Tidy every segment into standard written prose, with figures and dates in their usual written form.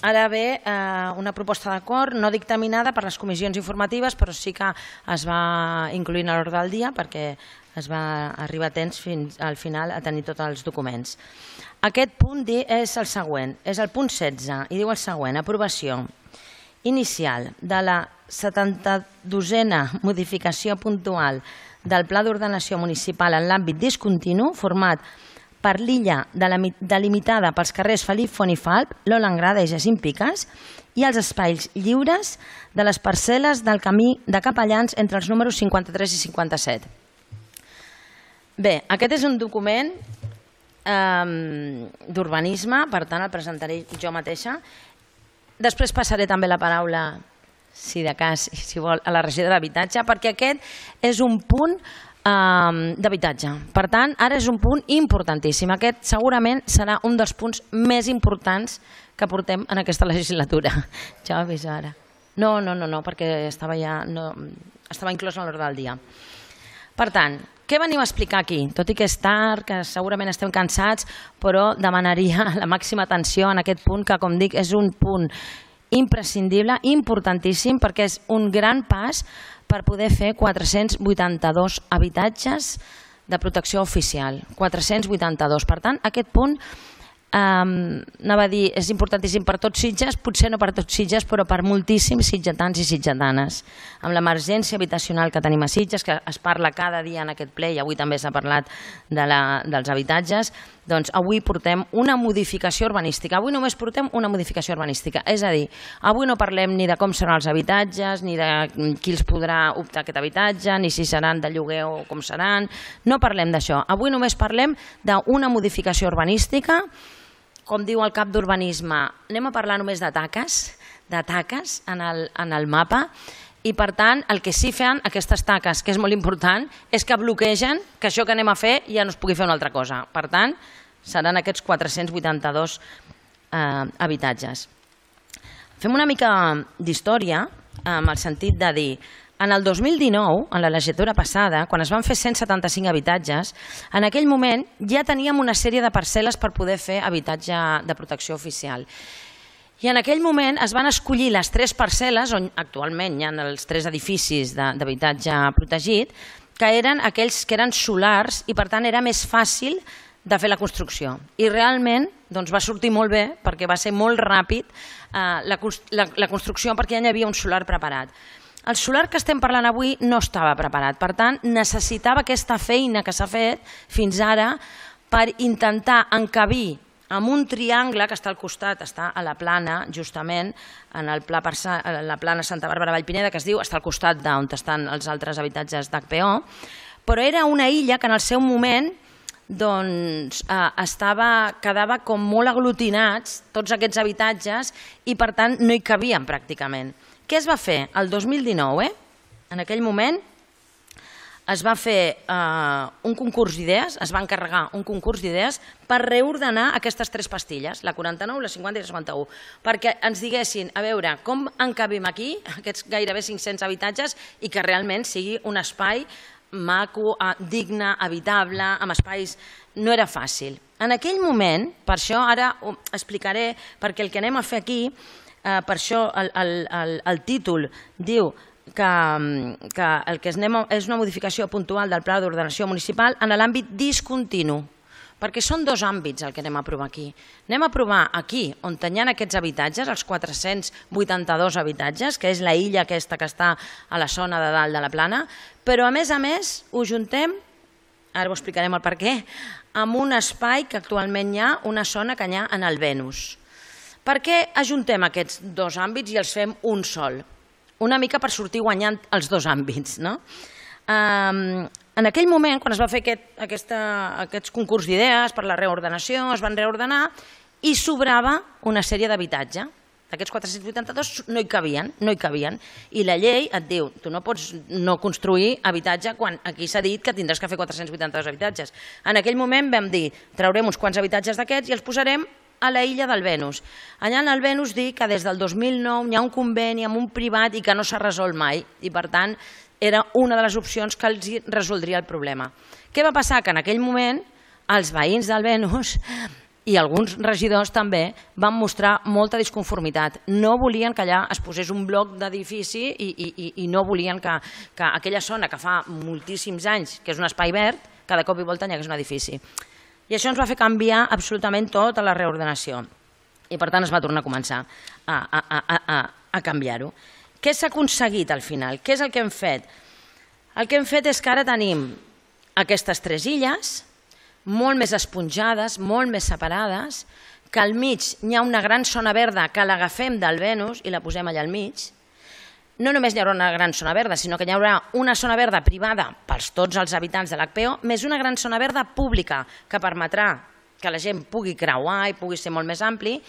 Ara ve una proposta d'acord no dictaminada per les comissions informatives, però sí que es va incluir a l'ordre del dia perquè es va arribar a temps fins al final a tenir tots els documents. Aquest punt és el següent, és el punt 16 i diu el següent: aprovació inicial de la 72a modificació puntual del Pla d'Ordenació Municipal en l'àmbit discontinu format per l'illa delimitada pels carrers Felip Font i Falp, Lola Angrada i Jacint Picas i els espais lliures de les parcel·les del camí de Capellans entre els números 53 i 57. Bé, aquest és un document d'urbanisme, per tant el presentaré jo mateixa. Després passaré també la paraula, si de cas, si vol, a la regidora d'Habitatge, perquè aquest és un punt d'habitatge. Per tant, ara és un punt importantíssim. Aquest segurament serà un dels punts més importants que portem en aquesta legislatura. Ja ho he vist ara. No, perquè estava inclòs en l'ordre del dia. Per tant, què venim a explicar aquí? Tot i que és tard, que segurament estem cansats, però demanaria la màxima atenció en aquest punt, que com dic és un punt imprescindible, importantíssim, perquè és un gran pas per poder fer 482 habitatges de protecció oficial. 482. Per tant, aquest punt anava a dir, és importantíssim per tots Sitges, potser no per tots Sitges, però per moltíssims sitgetans i sitgetanes. Amb l'emergència habitacional que tenim a Sitges, que es parla cada dia en aquest ple, i avui també s'ha parlat dels habitatges, doncs avui portem una modificació urbanística. Avui només portem una modificació urbanística. És a dir, avui no parlem ni de com seran els habitatges, ni de qui els podrà optar a aquest habitatge, ni si seran de lloguer o com seran. No parlem d'això. Avui només parlem d'una modificació urbanística. Com diu el cap d'urbanisme, anem a parlar només de taques en el mapa, i per tant el que sí fan aquestes taques, que és molt important, és que bloquegen que això que anem a fer ja no es pugui fer una altra cosa. Per tant, seran aquests 482 habitatges. Fem una mica d'història amb el sentit de dir, en el 2019, en la legislatura passada, quan es van fer 175 habitatges, en aquell moment ja teníem una sèrie de parcel·les per poder fer habitatge de protecció oficial. I en aquell moment es van escollir les 3 parcel·les, on actualment hi ha els 3 edificis d'habitatge protegit, que eren aquells que eren solars i per tant era més fàcil de fer la construcció. I realment va sortir molt bé perquè va ser molt ràpid la construcció perquè ja hi havia un solar preparat. El solar que estem parlant avui no estava preparat, per tant necessitava aquesta feina que s'ha fet fins ara per intentar encabir amb un triangle que està al costat, està a la plana, justament, en la plana Santa Bàrbara Vallpineda, que es diu, està al costat d'on estan els altres habitatges d'HPO, però era una illa que en el seu moment quedava com molt aglutinats tots aquests habitatges i per tant no hi cabien pràcticament. Què es va fer? El 2019, en aquell moment, es va fer un concurs d'idees, es va encarregar un concurs d'idees per reordenar aquestes 3 pastilles, la 49, la 50 i la 51, perquè ens diguessin, a veure, com encabim aquí aquests gairebé 500 habitatges i que realment sigui un espai maco, digne, habitable, amb espais... No era fàcil. En aquell moment, per això ara ho explicaré, perquè el que anem a fer aquí, per això el títol diu que el que és una modificació puntual del Pla d'Ordenació Municipal en l'àmbit discontinu, perquè són 2 àmbits el que anem a aprovar aquí. Anem a aprovar aquí, on hi ha aquests habitatges, els 482 habitatges, que és la illa aquesta que està a la zona de dalt de la plana, però a més ho juntem, ara ho explicarem el per què, amb un espai que actualment hi ha, una zona que hi ha en el Venus. Per què ajuntem aquests 2 àmbits i els fem un sol? Una mica per sortir guanyant els 2 àmbits. En aquell moment, quan es va fer aquests concurs d'idees per la reordenació, es van reordenar i sobrava una sèrie d'habitatge. Aquests 482 no hi cabien. I la llei et diu, tu no pots no construir habitatge quan aquí s'ha dit que tindràs que fer 482 habitatges. En aquell moment vam dir, traurem uns quants habitatges d'aquests i els posarem a la illa del Venus. Allà en el Venus dic que des del 2009 hi ha un conveni amb un privat i que no s'ha resolt mai. I per tant era una de les opcions que els resoldria el problema. Què va passar? Que en aquell moment els veïns del Venus I alguns regidors també van mostrar molta disconformitat. No volien que allà es posés un bloc d'edifici i no volien que aquella zona que fa moltíssims anys que és un espai verd, que de cop i volta hi hagués un edifici. I això ens va fer canviar absolutament tota la reordenació. I per tant es va tornar a començar a canviar-ho. Què s'ha aconseguit al final? Què és el que hem fet? El que hem fet és que ara tenim aquestes 3 illes, molt més esponjades, molt més separades, que al mig hi ha una gran zona verda que l'agafem del Venus i la posem allà al mig. No només hi haurà una gran zona verda, sinó que hi haurà una zona verda privada per tots els habitants de l'HPO, més una gran zona verda pública que permetrà que la gent pugui creuar i pugui ser molt més ampli.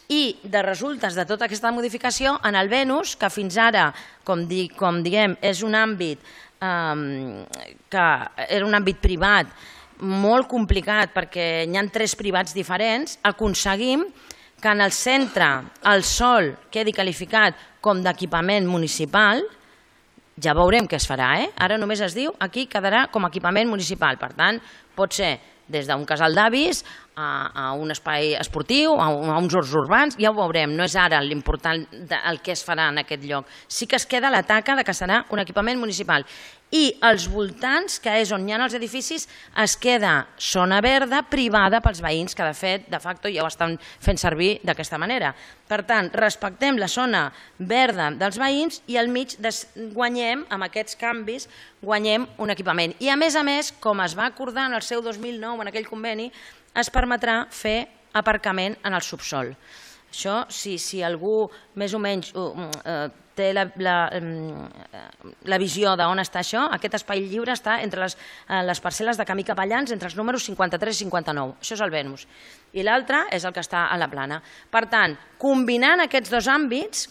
I de resultes de tota aquesta modificació, en el Venus, que fins ara, com diguem, és un àmbit que era un àmbit privat molt complicat perquè hi ha 3 privats diferents, aconseguim que en el centre el sòl quedi qualificat com d'equipament municipal. Ja veurem què es farà, ara només es diu aquí quedarà com a equipament municipal, per tant pot ser des d'un casal d'avis a un espai esportiu, a uns horts urbans, ja ho veurem, no és ara l'important el que es farà en aquest lloc. Sí que es queda la taca que serà un equipament municipal. I als voltants, que és on hi ha els edificis, es queda zona verda privada pels veïns, que de fet, de facto, ja ho estan fent servir d'aquesta manera. Per tant, respectem la zona verda dels veïns i al mig guanyem, amb aquests canvis, guanyem un equipament. I a més, com es va acordar en el seu 2009, en aquell conveni, es permetrà fer aparcament en el subsol. Això, si algú més o menys té la visió d'on està això, aquest espai lliure està entre les parcel·les de Camí Capellans, entre els números 53 i 59. Això és el Venus. I l'altre és el que està a la Plana. Per tant, combinant aquests dos àmbits,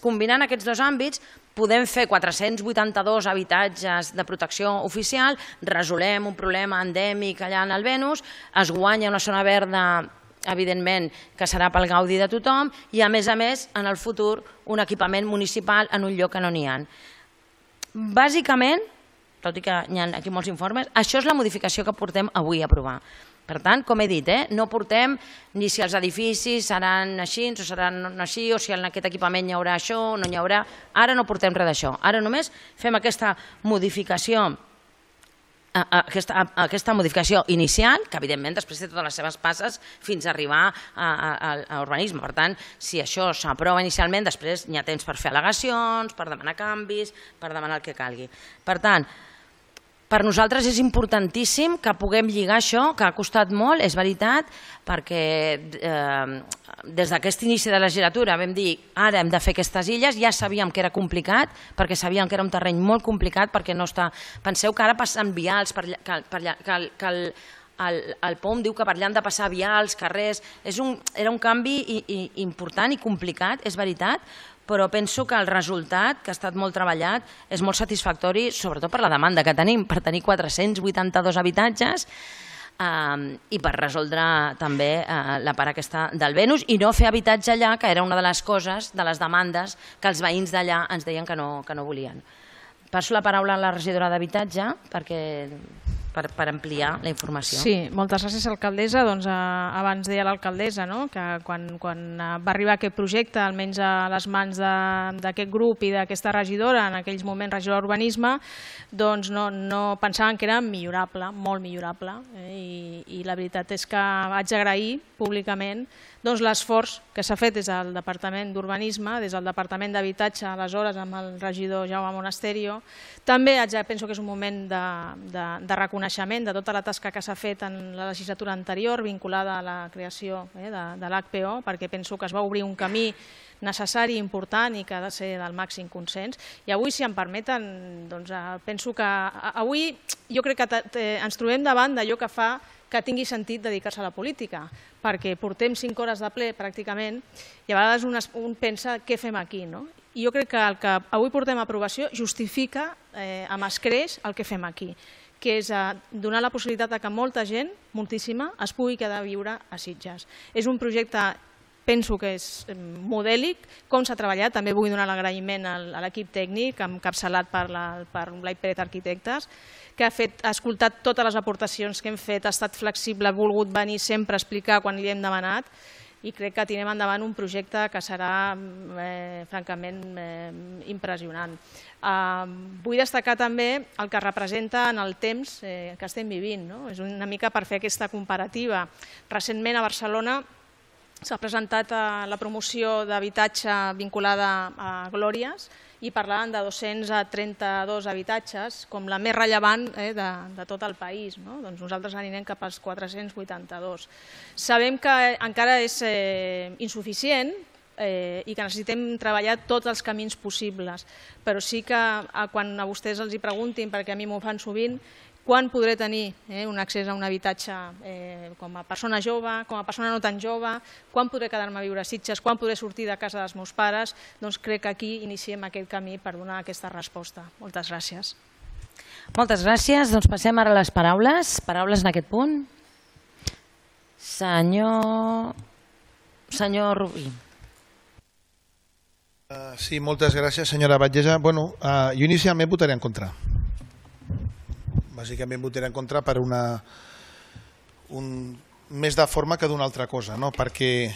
podem fer 482 habitatges de protecció oficial, resolem un problema endèmic allà en el Venus, es guanya una zona verda, evidentment, que serà pel gaudi de tothom, i a més, en el futur, un equipament municipal en un lloc que no n'hi ha. Bàsicament, tot i que hi ha aquí molts informes, això és la modificació que portem avui a aprovar. Per tant, com he dit, no portem ni si els edificis seran així o seran així, o si en aquest equipament hi haurà això o no hi haurà. Ara no portem res d'això. Ara només fem aquesta modificació inicial, que evidentment després té totes les seves passes fins a arribar a urbanisme. Per tant, si això s'aprova inicialment, després hi ha temps per fer al·legacions, per demanar canvis, per demanar el que calgui. Per tant, per nosaltres és importantíssim que puguem lligar això, que ha costat molt, és veritat, perquè des d'aquest inici de legislatura vam dir ara hem de fer aquestes illes, ja sabíem que era complicat, perquè sabíem que era un terreny molt complicat, perquè no està... Penseu que ara passen vials, que el POM diu que per allà han de passar vials, carrers... Era un canvi important i complicat, és veritat, però penso que el resultat, que ha estat molt treballat, és molt satisfactori, sobretot per la demanda que tenim, per tenir 482 habitatges i per resoldre també la part aquesta del Venus i no fer habitatge allà, que era una de les coses, de les demandes que els veïns d'allà ens deien que no volien. Passo la paraula a la regidora d'Habitatge per ampliar la informació. Sí, moltes gràcies, alcaldessa. Abans deia l'alcaldessa que quan va arribar aquest projecte, almenys a les mans d'aquest grup i d'aquesta regidora, en aquells moments regidora d'Urbanisme, no pensaven que era millorable, molt millorable. I la veritat és que vaig agrair públicament l'esforç que s'ha fet des del Departament d'Urbanisme, des del Departament d'Habitatge, aleshores amb el regidor Jaume Monasterio. També penso que és un moment de reconeixement de tota la tasca que s'ha fet en la legislatura anterior vinculada a la creació de l'HPO, perquè penso que es va obrir un camí necessari, important i que ha de ser del màxim consens. I avui, si em permeten, penso que avui jo crec que ens trobem davant d'allò que fa que tingui sentit dedicar-se a la política, perquè portem 5 hores de ple pràcticament i a vegades un pensa què fem aquí. I jo crec que el que avui portem a aprovació justifica amb escreix el que fem aquí, que és donar la possibilitat que molta gent, moltíssima, es pugui quedar a viure a Sitges. És un projecte penso que és modèlic, com s'ha treballat. També vull donar l'agraïment a l'equip tècnic, encapçalat per Blai Pérez Arquitectes, que ha escoltat totes les aportacions que hem fet, ha estat flexible, ha volgut venir sempre a explicar quan li hem demanat, i crec que tirem endavant un projecte que serà francament impressionant. Vull destacar també el que representa en el temps que estem vivint. És una mica per fer aquesta comparativa. Recentment a Barcelona s'ha presentat la promoció d'habitatge vinculada a Glòries i parlaven de 232 habitatges com la més rellevant de tot el país. Doncs nosaltres anirem cap als 482. Sabem que encara és insuficient i que necessitem treballar tots els camins possibles, però sí que quan a vostès els preguntin, perquè a mi m'ho fan sovint, quan podré tenir un accés a un habitatge com a persona jove, com a persona no tan jove, quan podré quedar-me a viure a Sitges, quan podré sortir de casa dels meus pares, doncs crec que aquí iniciem aquest camí per donar aquesta resposta. Moltes gràcies. Moltes gràcies. Doncs passem ara a les paraules. Paraules en aquest punt. Senyor Rubí. Sí, moltes gràcies, senyora Batllessa. Jo inicialment votaré en contra. Bàsicament votaré en contra per més de forma que d'una altra cosa, perquè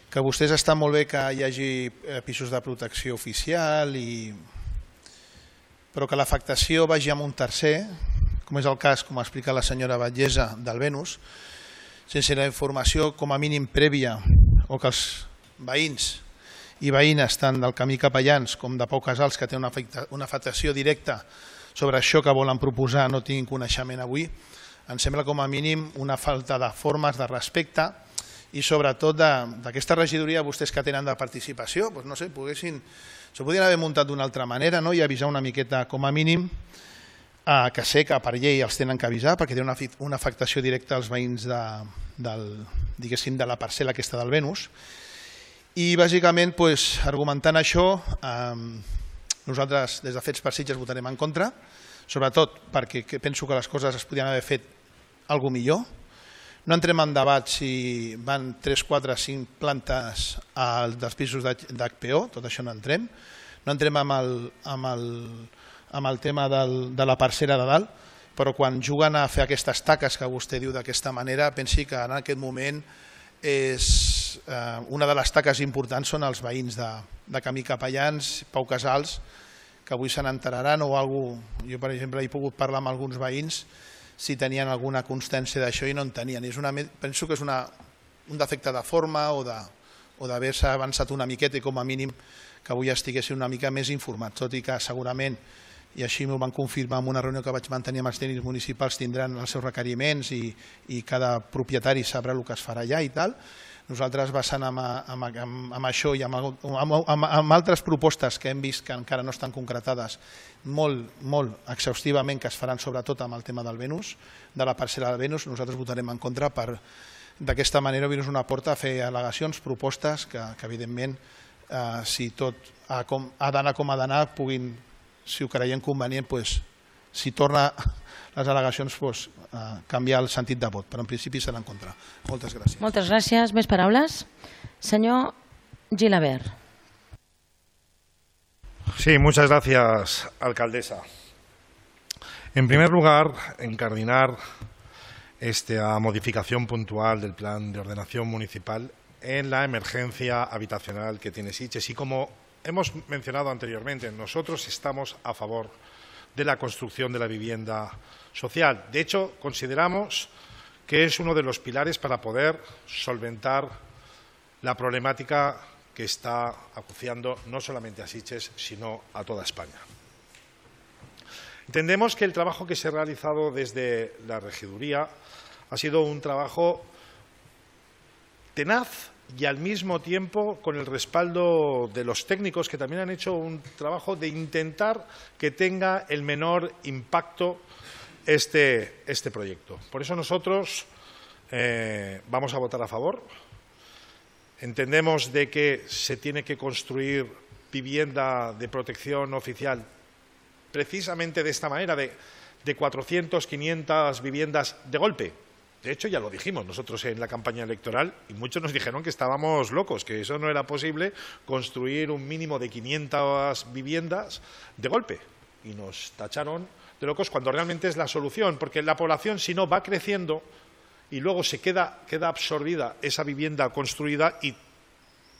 que vostès estan molt bé que hi hagi pisos de protecció oficial, però que l'afectació vagi amb un tercer, com és el cas, com explica la senyora Batllessa, del Venus, sense la informació com a mínim prèvia, o que els veïns i veïnes tant del Camí Capellans com de Pau Casals, que té una afectació directa sobre això que volen proposar, no tinguin coneixement avui, em sembla com a mínim una falta de formes, de respecte i sobretot d'aquesta regidoria vostès que tenen de participació, no sé, s'ho podrien haver muntat d'una altra manera i avisar una miqueta com a mínim, que sé que per llei els tenen que avisar perquè té una afectació directa als veïns de la parcel·la aquesta del Venus. I bàsicament, argumentant això, nosaltres des de Fets per Sitges votarem en contra, sobretot perquè penso que les coses es podien haver fet alguna millor. No entrem en debat si van 3, 4, 5 plantes dels pisos d'HPO, tot això no entrem. No entrem amb el tema de la parcel·la de dalt, però quan juguen a fer aquestes taques que vostè diu d'aquesta manera, pensi que en aquest moment una de les taques importants són els veïns de Camí Capellans, Pau Casals, que avui se n'enteraran o alguna cosa. Jo, per exemple, he pogut parlar amb alguns veïns si tenien alguna constància d'això i no en tenien. Penso que és un defecte de forma o d'haver-se avançat una miqueta i com a mínim que avui estiguessin una mica més informats, tot i que segurament, i així m'ho van confirmar en una reunió que vaig mantenir amb els tècnics municipals, tindran els seus requeriments i cada propietari sabrà el que es farà allà i tal. Nosaltres, basant amb això i amb altres propostes que hem vist que encara no estan concretades molt exhaustivament, que es faran sobretot amb el tema del Venus, de la parcel·la del Venus, nosaltres votarem en contra per d'aquesta manera obrir-nos una porta a fer al·legacions, propostes que evidentment, si tot ha d'anar com ha d'anar, puguin, si ho creiem convenient, si torna les al·legacions, canviar el sentit de vot, però en principi serà en contra. Moltes gràcies. Moltes gràcies. Més paraules? Senyor Gilabert. Sí, muchas gracias, alcaldesa. En primer lugar, encardinar esta modificación puntual del plan de ordenación municipal en la emergencia habitacional que tiene Sitges. Y como hemos mencionado anteriormente, nosotros estamos a favor de la construcción de la vivienda social. De hecho, consideramos que es uno de los pilares para poder solventar la problemática que está acuciando no solamente a Sitges, sino a toda España. Entendemos que el trabajo que se ha realizado desde la regiduría ha sido un trabajo tenaz y al mismo tiempo con el respaldo de los técnicos, que también han hecho un trabajo de intentar que tenga el menor impacto este proyecto. Por eso nosotros vamos a votar a favor. Entendemos de que se tiene que construir vivienda de protección oficial precisamente de esta manera, de 400, 500 viviendas de golpe, De hecho, ya lo dijimos nosotros en la campaña electoral y muchos nos dijeron que estábamos locos, que eso no era posible construir un mínimo de 500 viviendas de golpe. Y nos tacharon de locos cuando realmente es la solución, porque la población, si no, va creciendo y luego se queda absorbida esa vivienda construida y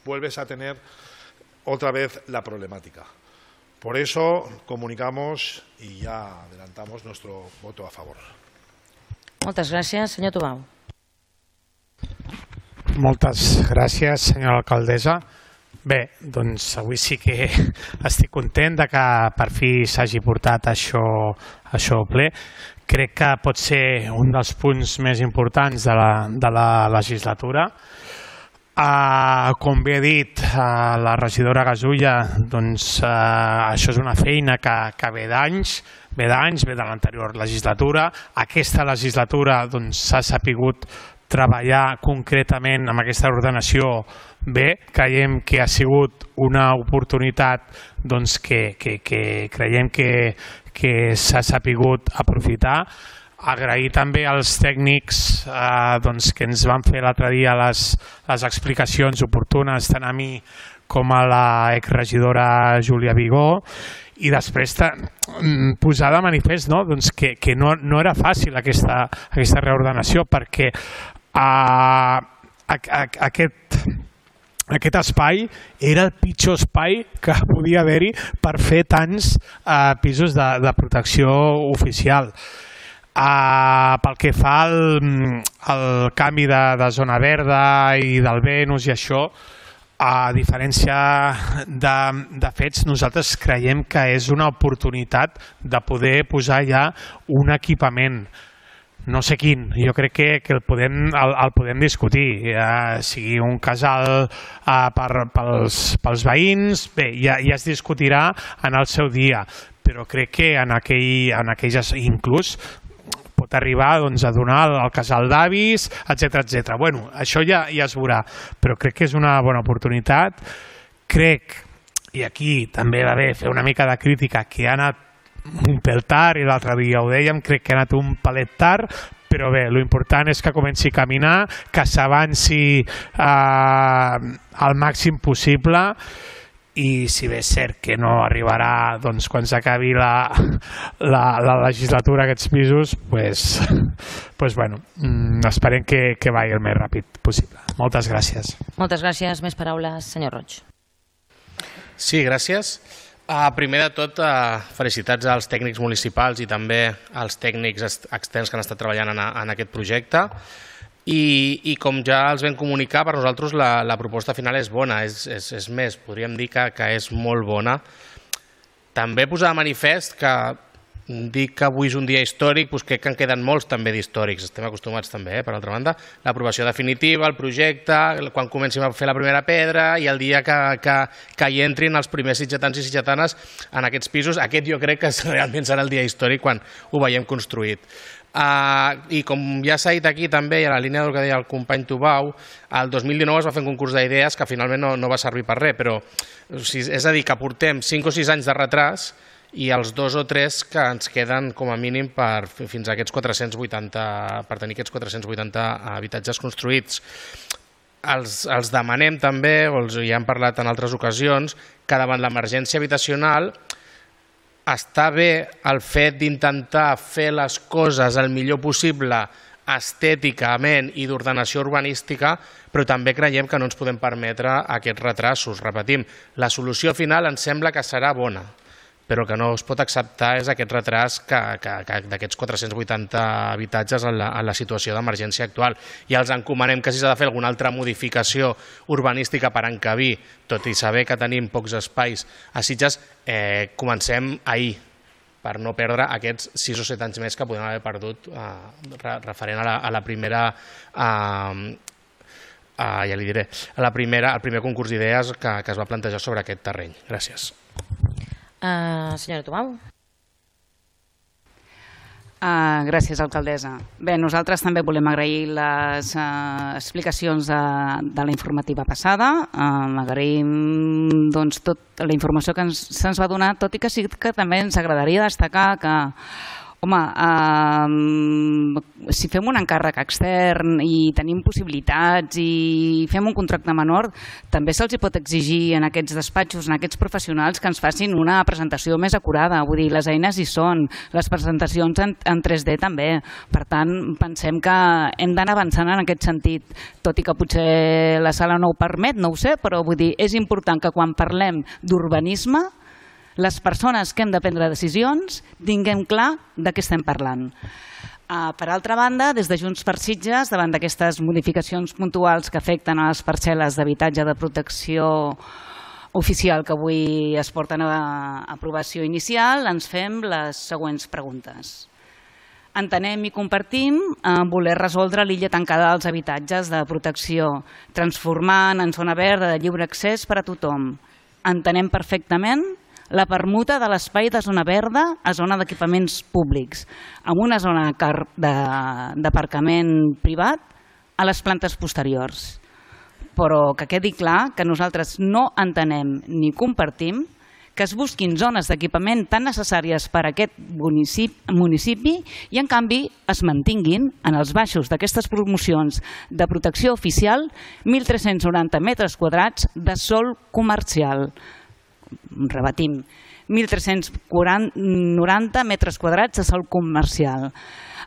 vuelves a tener otra vez la problemática. Por eso comunicamos y ya adelantamos nuestro voto a favor. Moltes gràcies. Senyor Tubau. Moltes gràcies, senyora alcaldessa. Bé, doncs avui sí que estic content de que per fi s'hagi portat això al ple. Crec que pot ser un dels punts més importants de la legislatura. Com bé ha dit la regidora Gasulla, doncs això és una feina que ve d'anys, ve de l'anterior legislatura. Aquesta legislatura s'ha sapigut treballar concretament amb aquesta ordenació bé. Creiem que ha sigut una oportunitat que creiem que s'ha sapigut aprofitar. Agrair també als tècnics que ens van fer l'altre dia les explicacions oportunes tant a mi com a la exregidora Júlia Vigó, i després posar de manifest que no era fàcil aquesta reordenació, perquè aquest espai era el pitjor espai que podia haver-hi per fer tants pisos de protecció oficial. Pel que fa al canvi de zona verda i del Venus i això, a diferència de fets, nosaltres creiem que és una oportunitat de poder posar ja un equipament. No sé quin, jo crec que el podem discutir, sigui un casal pels veïns, bé, ja es discutirà en el seu dia, però crec que en aquells inclús pot arribar a donar al casal d'avis, etc. Bueno, això ja es veurà, però crec que és una bona oportunitat. Crec, i aquí també va bé fer una mica de crítica, que ha anat un pèl tard, i l'altre dia ho dèiem, crec que ha anat un pelet tard, però bé, l'important és que comenci a caminar, que s'avanci al màxim possible, i si bé és cert que no arribarà quan s'acabi la legislatura aquests pisos, bueno, esperem que vagi el més ràpid possible. Moltes gràcies. Moltes gràcies. Més paraules, senyor Roig. Sí, gràcies. Primer de tot, felicitats als tècnics municipals i també als tècnics externs que han estat treballant en aquest projecte. I com ja els vam comunicar, per nosaltres la proposta final és bona, és més, podríem dir que és molt bona. També posar de manifest que dic que avui és un dia històric, crec que en queden molts també d'històrics, estem acostumats també, per altra banda, l'aprovació definitiva, el projecte, quan comencem a fer la primera pedra i el dia que hi entrin els primers sitgetans i sitgetanes en aquests pisos, aquest jo crec que realment serà el dia històric quan ho veiem construït. I com ja s'ha dit aquí també, i a la línia del que deia el company Tubau, el 2019 es va fer un concurs d'idees que finalment no va servir per res, però és a dir, que portem 5 o 6 anys de retras i els 2 o 3 que ens queden com a mínim fins a aquests 480, per tenir aquests 480 habitatges construïts. Els demanem també, o ja hem parlat en altres ocasions, que davant l'emergència habitacional està bé el fet d'intentar fer les coses el millor possible estèticament i d'ordenació urbanística, però també creiem que no ens podem permetre aquests retrasos. Repetim, la solució final ens sembla que serà bona, però que no es pot acceptar és aquest retras d'aquests 480 habitatges en la situació d'emergència actual. I els encomanem que si s'ha de fer alguna altra modificació urbanística per encabir, tot i saber que tenim pocs espais a Sitges, comencem ahir, per no perdre aquests 6 o 7 anys més que podem haver perdut referent a la primera, ja li diré, al primer concurs d'idees que es va plantejar sobre aquest terreny. Gràcies. Senyora Tubau. Gràcies, alcaldessa. Bé, nosaltres també volem agrair les explicacions de la informativa passada. Agraïm tota la informació que se'ns va donar, tot i que sí que també ens agradaria destacar que Home, si fem un encàrrec extern i tenim possibilitats i fem un contracte menor, també se'ls pot exigir en aquests despatxos, en aquests professionals, que ens facin una presentació més acurada. Vull dir, les eines hi són, les presentacions en 3D també. Per tant, pensem que hem d'anar avançant en aquest sentit, tot i que potser la sala no ho permet, no ho sé, però vull dir, és important que quan parlem d'urbanisme les persones que hem de prendre decisions tinguem clar de què estem parlant. Per altra banda, des de Junts per Sitges, davant d'aquestes modificacions puntuals que afecten a les parcel·les d'habitatge de protecció oficial que avui es porten a aprovació inicial, ens fem les següents preguntes. Entenem i compartim voler resoldre l'illa tancada dels habitatges de protecció, transformant en zona verda de lliure accés per a tothom. Entenem perfectament la permuta de l'espai de zona verda a zona d'equipaments públics, amb una zona d'aparcament privat a les plantes posteriors. Però que quedi clar que nosaltres no entenem ni compartim que es busquin zones d'equipament tan necessàries per a aquest municipi i, en canvi, es mantinguin en els baixos d'aquestes promocions de protecció oficial 1.390 metres quadrats de sòl comercial. Rebatim, 1.390 metres quadrats de sòl comercial,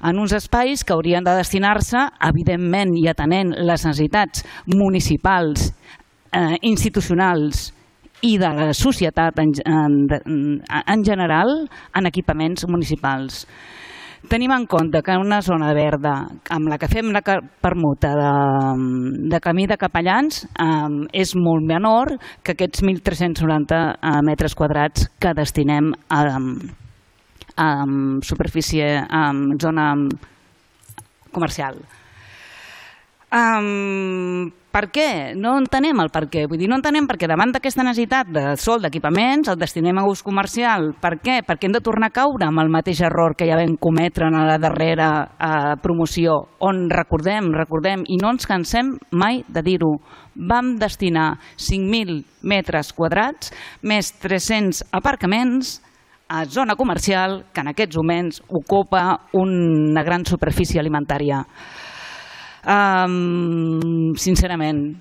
en uns espais que haurien de destinar-se, evidentment, i atenent les necessitats municipals, institucionals i de la societat en general, en equipaments municipals. Tenim en compte que una zona verda amb la que fem la permuta de camí de capellans és molt menor que aquests 1.390 metres quadrats que destinem a superfície, a zona comercial. Per què? No entenem el per què. Vull dir, no entenem perquè davant d'aquesta necessitat de sòl d'equipaments el destinem a ús comercial. Per què? Perquè hem de tornar a caure amb el mateix error que ja vam cometre en la darrera promoció, on recordem, i no ens cansem mai de dir-ho, vam destinar 5.000 metres quadrats més 300 aparcaments a zona comercial que en aquests moments ocupa una gran superfície alimentària. Sincerament,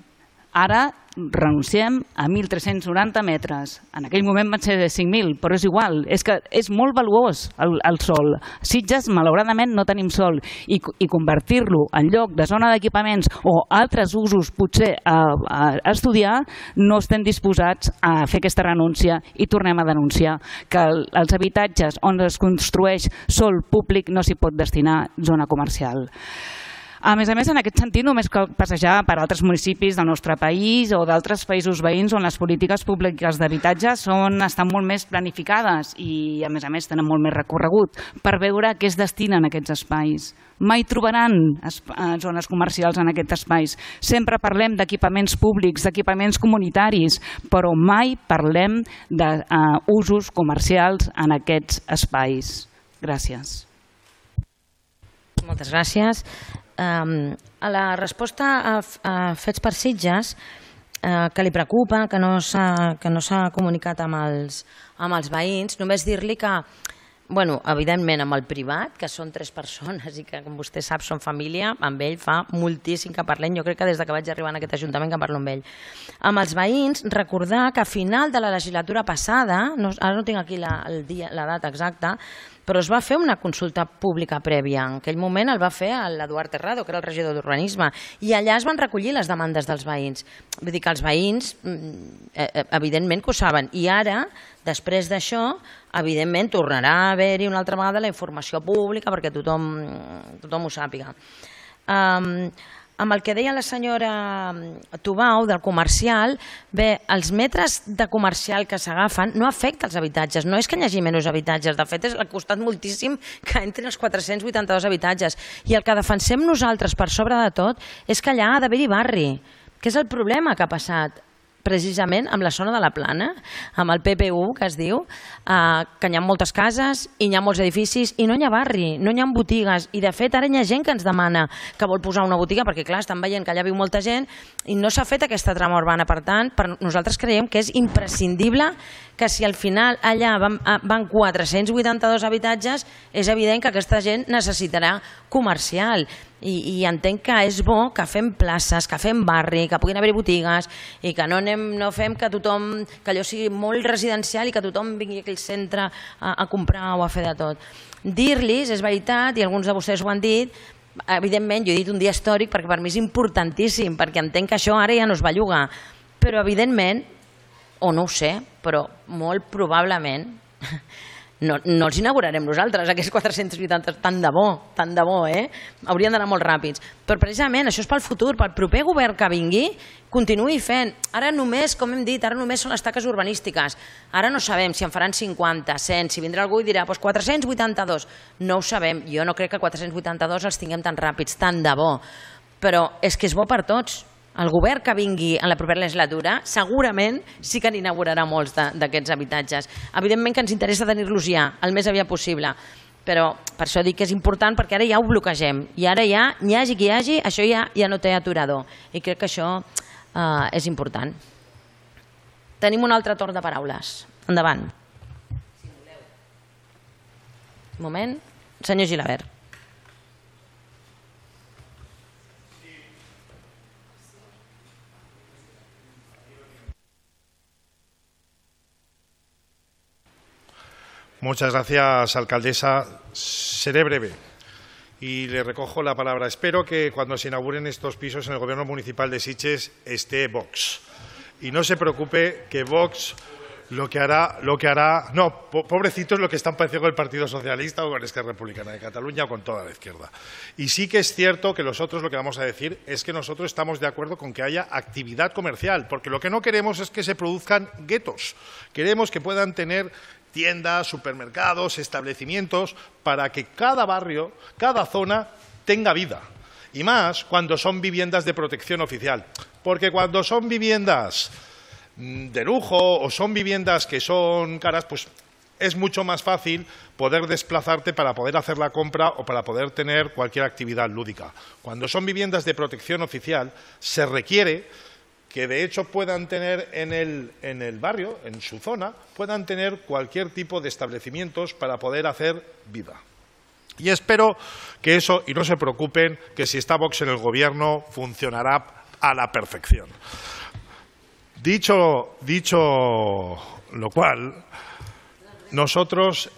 ara renunciem a 1.390 metres. En aquell moment van ser 5.000, però és igual, és que és molt valuós el sòl. Sitges, malauradament, no tenim sòl i convertir-lo en lloc de zona d'equipaments o altres usos potser a estudiar, no estem disposats a fer aquesta renúncia i tornem a denunciar que els habitatges on es construeix sòl públic no s'hi pot destinar zona comercial. A més, en aquest sentit, només cal passejar per altres municipis del nostre país o d'altres països veïns on les polítiques públiques d'habitatge estan molt més planificades i, a més, tenen molt més recorregut per veure a què es destinen aquests espais. Mai trobaran zones comercials en aquests espais. Sempre parlem d'equipaments públics, d'equipaments comunitaris, però mai parlem d'usos comercials en aquests espais. Gràcies. Moltes gràcies. A la resposta a Fets per Sitges, que li preocupa, que no s'ha comunicat amb els veïns, només dir-li que, evidentment amb el privat, que són 3 persones i que, com vostè sap, són família, amb ell fa moltíssim que parlem, jo crec que des que vaig arribar en aquest Ajuntament que parlo amb ell. Amb els veïns, recordar que a final de la legislatura passada, ara no tinc aquí la data exacta, però es va fer una consulta pública prèvia. En aquell moment el va fer l'Eduard Terrado, que era el regidor d'Urbanisme, i allà es van recollir les demandes dels veïns. Vull dir que els veïns, evidentment que ho saben, i ara, després d'això, evidentment tornarà a haver-hi una altra vegada la informació pública perquè tothom ho sàpiga. Amb el que deia la senyora Tubau del comercial, bé, els metres de comercial que s'agafen no afecta els habitatges, no és que hi hagi menys habitatges, de fet ha costat moltíssim que entrin els 482 habitatges i el que defensem nosaltres per sobre de tot és que allà ha d'haver-hi barri, que és el problema que ha passat precisament amb la zona de la Plana, amb el PPU, que es diu, que hi ha moltes cases i hi ha molts edificis i no hi ha barri, no hi ha botigues i de fet ara hi ha gent que ens demana que vol posar una botiga perquè clar, estan veient que allà viu molta gent i no s'ha fet aquesta trama urbana, per tant nosaltres creiem que és imprescindible que si al final allà van 482 habitatges, és evident que aquesta gent necessitarà comercial. I entenc que és bo que fem places, que fem barri, que puguin haver botigues i que no fem que tothom, que allò sigui molt residencial i que tothom vingui aquí al centre a comprar o a fer de tot. Dir-los, és veritat, i alguns de vostès ho han dit, evidentment, jo he dit un dia històric perquè per mi és importantíssim, perquè entenc que això ara ja no es belluga, però evidentment, o no ho sé, però molt probablement no els inaugurarem nosaltres, aquests 480, tant de bo, haurien d'anar molt ràpids. Però precisament això és pel futur, pel proper govern que vingui, continuï fent. Ara només, com hem dit, ara només són les taques urbanístiques. Ara no sabem si en faran 50, 100, si vindrà algú i dirà 482. No ho sabem, jo no crec que 482 els tinguem tan ràpids, tant de bo. Però és que és bo per tots. El govern que vingui en la propera legislatura segurament sí que n'inaugurarà molts d'aquests habitatges. Evidentment que ens interessa tenir-los ja, el més aviat possible, però per això dic que és important perquè ara ja ho bloquegem i ara ja, hi hagi qui hi hagi, això ja no té aturador i crec que això és important. Tenim un altre torn de paraules. Endavant. Un moment. Senyor Gilabert. Muchas gracias, alcaldesa. Seré breve y le recojo la palabra. Espero que cuando se inauguren estos pisos en el Gobierno Municipal de Sitges esté Vox. Y no se preocupe que Vox lo que hará, no, pobrecitos lo que están pareciendo con el Partido Socialista o con Esquerra Republicana de Cataluña o con toda la izquierda. Y sí que es cierto que nosotros lo que vamos a decir es que nosotros estamos de acuerdo con que haya actividad comercial, porque lo que no queremos es que se produzcan guetos. Queremos que puedan tener tiendas, supermercados, establecimientos, para que cada barrio, cada zona tenga vida. Y más cuando son viviendas de protección oficial. Porque cuando son viviendas de lujo o son viviendas que son caras, pues es mucho más fácil poder desplazarte para poder hacer la compra o para poder tener cualquier actividad lúdica. Cuando son viviendas de protección oficial, se requiere que de hecho puedan tener en el barrio, en su zona, puedan tener cualquier tipo de establecimientos para poder hacer vida. Y espero que eso, y no se preocupen, que si está Vox en el Gobierno funcionará a la perfección. Dicho lo cual, nosotros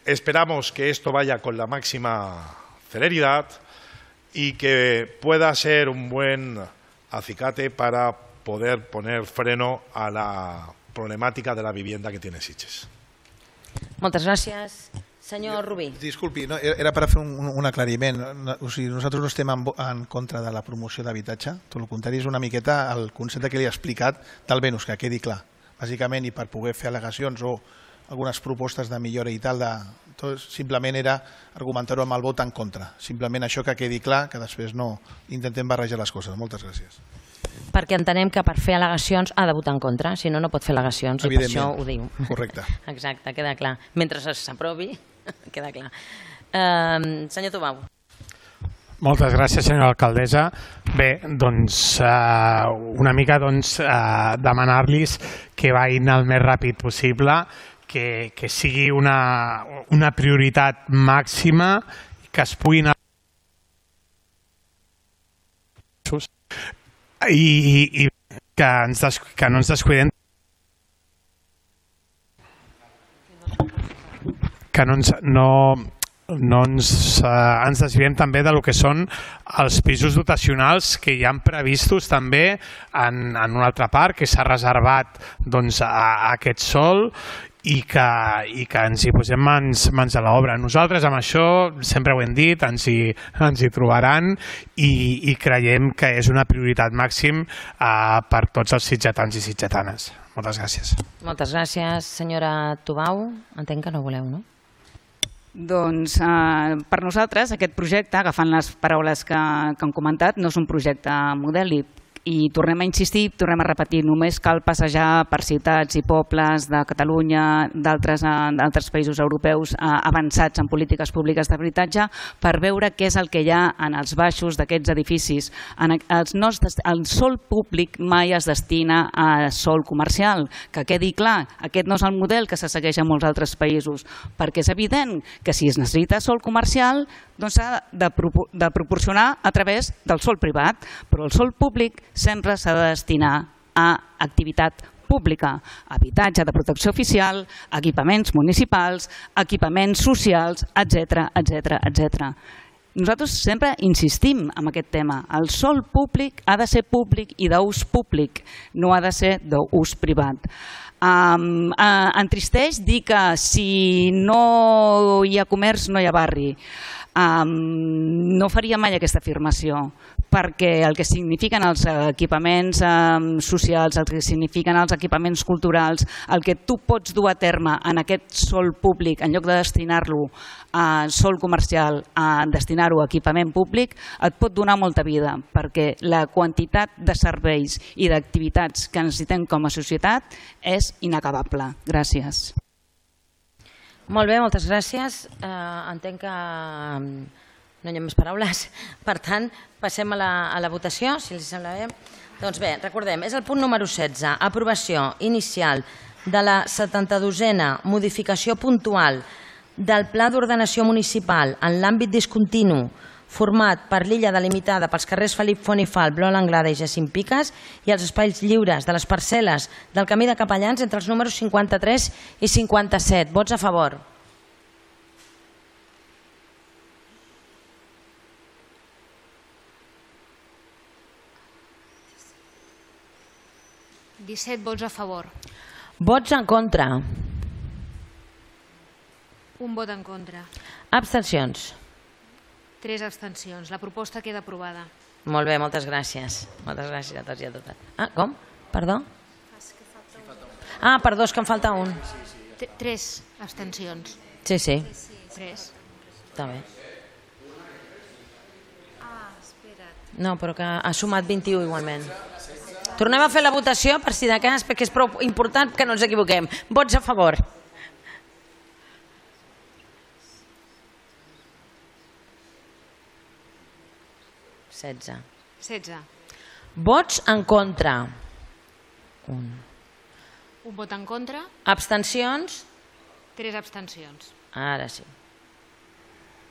esperamos que esto vaya con la máxima celeridad y que pueda ser un buen acicate para poder poner freno a la problemàtica de la vivienda que tiene Sitges. Moltes gràcies. Senyor Rubí. Disculpi, no, era per fer un aclariment. O sigui, nosaltres no estem en contra de la promoció d'habitatge, tot el contrari, és una miqueta el concepte que li he explicat del Venus, que quedi clar. Bàsicament, i per poder fer al·legacions o algunes propostes de millora i tal, simplement era argumentar-ho amb el vot en contra. Simplement això que quedi clar, que després no intentem barrejar les coses. Moltes gràcies. Perquè entenem que per fer al·legacions ha de votar en contra, si no, no pot fer al·legacions, i per això ho diu. Correcte. Exacte, queda clar. Mentre s'aprovi, queda clar. Senyor Tubau. Moltes gràcies, senyora alcaldessa. Bé, doncs una mica demanar-los que vagin el més ràpid possible, que sigui una prioritat màxima, que es puguin i que no ens descuidem, que no ens desviem també del que són els pisos dotacionals que hi han previstos també en una altra part, que s'ha reservat a aquest sòl i que ens hi posem mans a l'obra. Nosaltres amb això, sempre ho hem dit, ens hi trobaran i creiem que és una prioritat màxim per tots els sitgetans i sitgetanes. Moltes gràcies. Moltes gràcies, senyora Tubau. Entenc que no voleu, no? Doncs per nosaltres aquest projecte, agafant les paraules que han comentat, no és un projecte modèlic. I tornem a insistir, tornem a repetir, només cal passejar per ciutats i pobles de Catalunya, d'altres països europeus avançats en polítiques públiques d'habitatge per veure què és el que hi ha en els baixos d'aquests edificis. El sòl públic mai es destina a sòl comercial, que quedi clar, aquest no és el model que se segueix en molts altres països, perquè és evident que si es necessita sòl comercial doncs s'ha de proporcionar a través del sòl privat, però el sòl públic sempre s'ha de destinar a activitat pública, habitatge de protecció oficial, equipaments municipals, equipaments socials, etc. Nosaltres sempre insistim en aquest tema. El sòl públic ha de ser públic i d'ús públic, no ha de ser d'ús privat. Entristeix dir que si no hi ha comerç no hi ha barri. No faria mai aquesta afirmació, perquè el que signifiquen els equipaments socials, el que signifiquen els equipaments culturals, el que tu pots dur a terme en aquest sòl públic, en lloc de destinar-lo a sòl comercial, a destinar-ho a equipament públic, et pot donar molta vida, perquè la quantitat de serveis i d'activitats que necessitem com a societat és inacabable. Gràcies. Molt bé, moltes gràcies. Entenc que no hi ha més paraules. Per tant, passem a la votació, si els sembla bé. Doncs bé, recordem, és el punt número 16, aprovació inicial de la 72a modificació puntual del Pla d'Ordenació Municipal en l'àmbit discontinu format per l'illa delimitada pels carrers Felip Font i Fal, Blau Langlada i Jacint Piques i els espais lliures de les parcel·les del Camí de Capellans entre els números 53 i 57. Vots a favor. Vots a favor. Vots en contra. Un vot en contra. Abstencions. 3 abstencions. La proposta queda aprovada. Molt bé, moltes gràcies. Moltes gràcies a tots i a totes. Com? Perdó? Perdó, és que em falta un. 3 abstencions. Sí. 3. Està bé. No, però que ha sumat 21 igualment. Tornem a fer la votació per si de cas, perquè és prou important que no ens equivoquem. Vots a favor. Setze. Vots en contra. Un vot en contra. Abstencions. 3 abstencions. Ara sí.